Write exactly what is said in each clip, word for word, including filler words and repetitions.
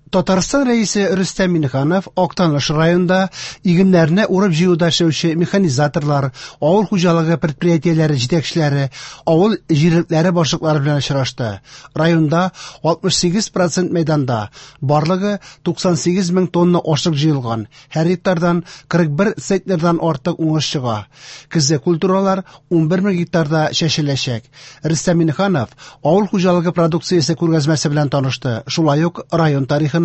Татарстан Рәисе Рөстәм Миңнеханов Актаныш районында игеннәрне урып-җыюда эшләүче механизаторлар, авыл хуҗалыгы предприятиеләре җитәкчеләре, авыл җирлекләре башлыклары белән очрашты. Районда алтмыш сигез процент мәйданда барлыгы туксан сигез мең тонна ашлык җыелган. Һәр гектардан кырык бер центнердан артык уңыш чыга. Көзге культуралар унбер мең гектарда чәчеләчәк. Рөстәм Миңнеханов авыл хуҗалыгы продукциясе күргәзмәсе белән танышты. Шулай ук район тарихына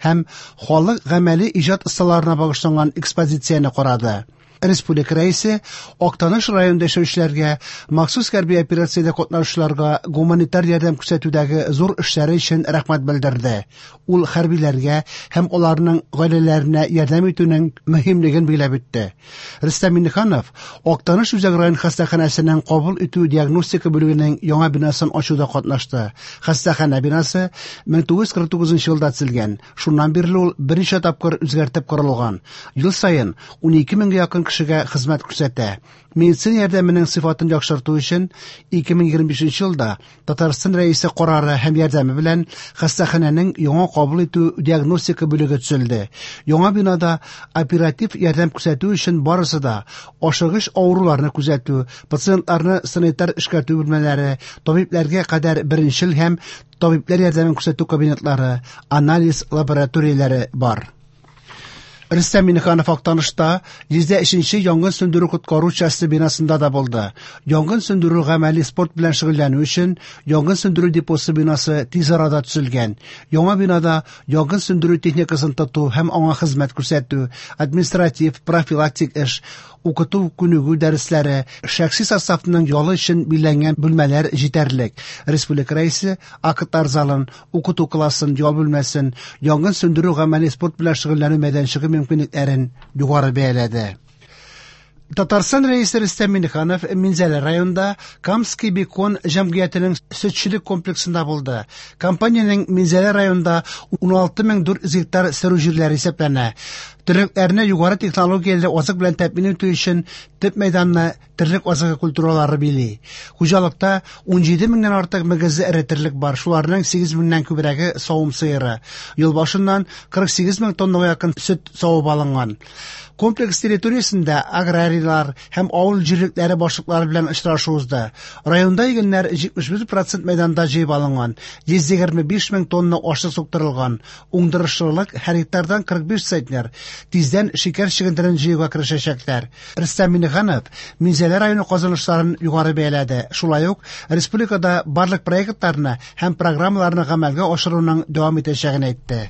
һәм халык гамәли иҗат осталарына багышланган экспозицияне карады. Республика Рәисе Актаныш районында яшәүчеләргә, махсус хәрби операциядә катнашучыларга гуманитар ярдәм күрсәтүдәге зур эшләре өчен рәхмәт белдерде. Ул хәрбиләргә һәм аларның гаиләләренә ярдәм итүнең мөһимлеген билгеләп үтте. Рөстәм Миңнеханов Актаныш үзәк район хастаханәсенең кабул итү диагностика бүлегенең яңа бинасын ачуда катнашты. Хастаханә бинасы мең тугыз йөз кырык тугызынчы елда төзелгән. Шуннан бирле ул берничә тапкыр үзгәртеп корылган. Ел саен ун ике меңгә якын кешегә хезмәт күрсәтә. Медицина ярдәменең сыйфатын яхшырту өчен ике мең егерме бишенче елда Татарстан Рәисе карары һәм ярдәме белән хастаханәнең яңа кабул итү диагностика бүлеге төзелде. Яңа бинада оператив ярдәм күрсәтү өчен барысы да ашыгыч авыруларны күзәтү, пациентларны санитар эшкәртү бүлмәләре, табибләргә кадәр беренчел һәм табибләр ярдәмен күрсәтү кабинетлары, анализ лабораторияләре бар. Рөстәм Миңнеханов Актанышта йөз өченче янгын сүндерү коткару часте бинасында да булды. Янгын сүндерү гамәли спорт белән шөгыльләнү өчен янгын сүндерү депосы бинасы тиз арада төзелгән. Яңа бинада янгын сүндерү техникасын тоту һәм аңа хезмәт күрсәтү, административ, профилактик эш, укыту күнегү дәресләре, шәхси составның ялы өчен билгеләнгән бүлмәләр җитәрлек. Республика Рәисе актлар залын, укыту классын, ял бүлмәсен, янгын сүндерү гамәли спорт белән шөгыльләнү мәйданчыгы мөмкинлекләрен югары бәяләде. Татарстан Рәисе Рөстәм Миңнеханов Минзәлә районында Камский бекон җәмгыятенең сөтчелек комплексында булды. Компаниянең Минзәлә районында ун алты мең дүрт йөз гектар сөрү җирләре исәпләнә. Терлекләрне югары технологияле азык белән тәэмин итү өчен төп мәйданны терлек азыгы культуралары били. Хуҗалыкта ун җиде меңнән артык мөгезле эре терлек бар, шуларның сигез меңнән күбрәге савым сыеры. Ел башыннан кырык сигез мең тоннага якын сөт савып алынган. Комплекс территориясендә аграрийлар һәм авыл җирлекләре башлыклары белән очрашу узды. Районда игеннәр җитмеш бер процент мәйданда җыеп алынган, йөз егерме биш мең тонна ашлык суктырылган. Уңдырышлылык һәр гектардан кырык биш центнер. Тиздән шикәр чөгендерен җыюга керешәчәкләр. Рөстәм Миңнеханов Минзәлә районы казанышларын югары бәяләде. Шулай ук республикада барлык проектларны һәм программаларны гамәлгә ашыруның дәвам итәчәген әйтте.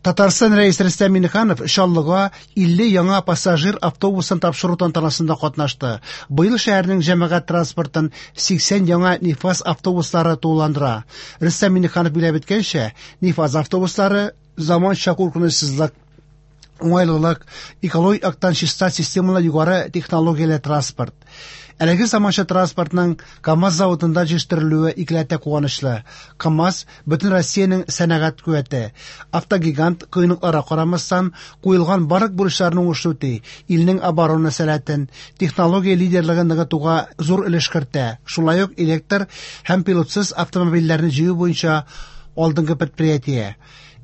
Татарстан Рәисе Рөстәм Миңнеханов Чаллыга илле яңа пассажир автобусын тапшыру тантанасында катнашты. Быел шәһәрнең җәмәгать транспортын сиксән яңа Нефаз автобуслары тулыландыра. Рөстәм Миңнеханов билгеләп үткәнчә, Нефаз автобуслары заманча куркынычсызлык, уңайлылык, экологик яктан чиста системалы югары технологияле транспорт. Әлеге заманча транспортның КАМАЗ заводында җитештерелүе икеләтә куанычлы. КАМАЗ бөтен Россиянең сәнәгать куәте. Автогигант кыенлыкларга карамастан куелган барлык бурычларны уңышлы үти, илнең оборона сәләтен, технология лидерлыгын ныгытуга зур өлеш кертә. Шулай ук электр һәм пилотсыз автомобильләрне җыю буенча алдынгы предприятие.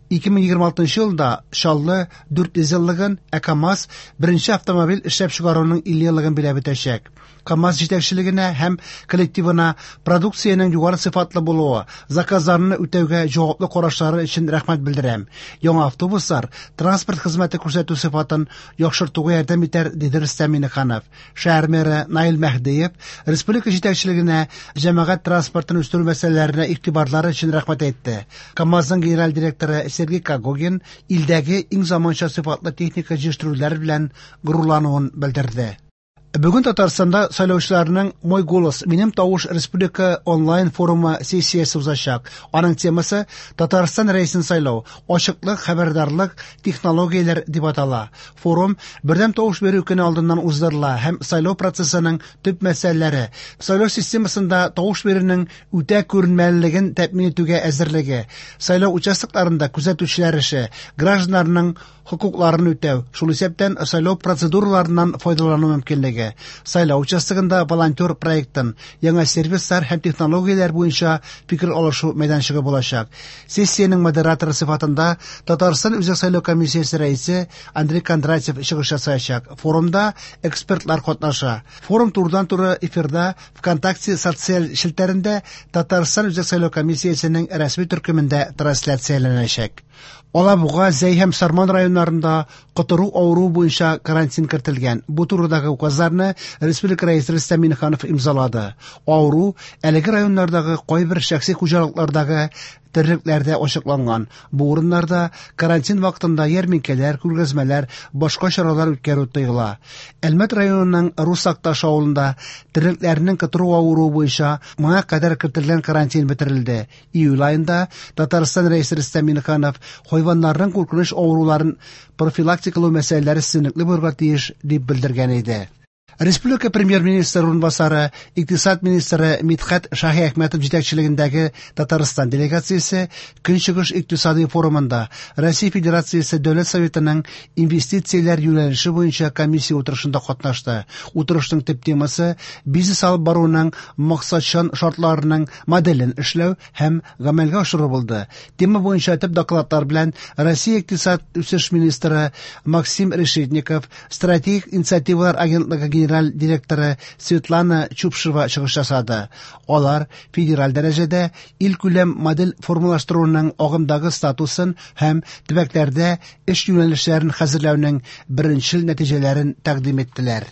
Ике мең егерме алтынчы елда Чаллы дүрт йөз еллыгын, ә КАМАЗ беренче автомобиль эшләп чыгаруның илле еллыгын биләп үтәчәк. КАМАЗ җитәкчелегенә һәм коллективына продукциянең югары сыйфатлы булуы, заказларны үтәүгә җаваплы карашлары өчен рәхмәт белдерәм. Яңа автобуслар транспорт хезмәте күрсәтү сыйфатын яхшыртуга ярдәм итәр, диде Рөстәм Миңнеханов. Шәһәр мэры Наил Мәһдиев республика җитәкчелегенә җәмәгать транспортын үстерү мәсьәләләренә игътибарлары өчен рәхмәт әйтте. КАМАЗның генераль директоры Сергей Когогин илдәге иң заманча сыйфатлы техника җитештерүләр белән горурлануын белдерде. Бүген Татарстанда сайлаучыларның Мой голос, минем тавыш республика онлайн форумы сессиясе узачак. Аның темасы Татарстан рәисен сайлау, ачыклык, хәбәрдарлык, технологияләр дип атала. Форум бердәм тавыш бирү көне алдыннан уздырыла һәм сайлау процессының төп мәсьәләләре, сайлау системасында тавыш бирүнең үтә күренмәлелеген тәэмин итүгә әзерлеге, сайлау участокларында күзәтүчеләр эше, гражданнарның хокукларын үтәү, шул исәптән сайлау процедураларыннан файдалану мөмкинлеге. үзәге. Сайлау участогында волонтер проектын, яңа сервислар һәм технологияләр буенча фикер алышу мәйданчыгы булачак. Сессиянең модераторы сыйфатында Татарстан Үзәк сайлау комиссиясе рәисе Андрей Кондратьев чыгыш ясаячак. Форумда экспертлар катнаша. Форум турыдан-туры эфирда ВКонтакте социаль челтәрендә Татарстан Үзәк сайлау комиссиясенең рәсми төркемендә трансляцияләнәчәк. Алабуга, Зәй һәм Сарман районнарында котыру авыруы буенча карантин кертелгән. Бу турыдагы указларны республика рәисе Рөстәм Миңнеханов имзалады. Авыру әлеге районнардагы кайбер шәхси хуҗалыклардагы терлекләрдә ачыкланган. Бу урыннарда карантин вакытында ярминкәләр, күргәзмәләр, башка чаралар үткәрү тыела. Әлмәт районының Рус Акташ авылында терлекләрнең котыру авыруы буенча моңа кадәр кертелгән карантин бетерелде. Июль аенда Татарстан рәисе Рөстәм Миңнеханов хайваннарның куркыныч авыруларын профилактикалау мәсьәләләре өстенлекле булырга тиеш дип белдергән иде. Республика премьер-министры урынбасары, икътисад министры Мидхәт Шаһиәхмәтов җитәкчелегендәге Татарстан делегациясе Көнчыгыш икътисади форумында Россия Федерациясе Дәүләт Советының инвестицияләр юнәлеше буенча комиссия утырышында катнашты. Утырышның төп темасы бизнес алып баруның максатчан шартларының моделен эшләү һәм гамәлгә ашыру булды. Тема буенча төп докладлар белән Россия икътисад үсеш министры Максим Решетников, стратегик инициативалар агентлыгы генераль директоры Светлана Чупшева чыгыш ясады. Алар федераль дәрәҗәдә илкүләм модель формалаштыруның агымдагы статусын һәм төбәкләрдә эш юнәлешләрен хәзерләүнең беренчел нәтиҗәләрен тәкъдим иттеләр.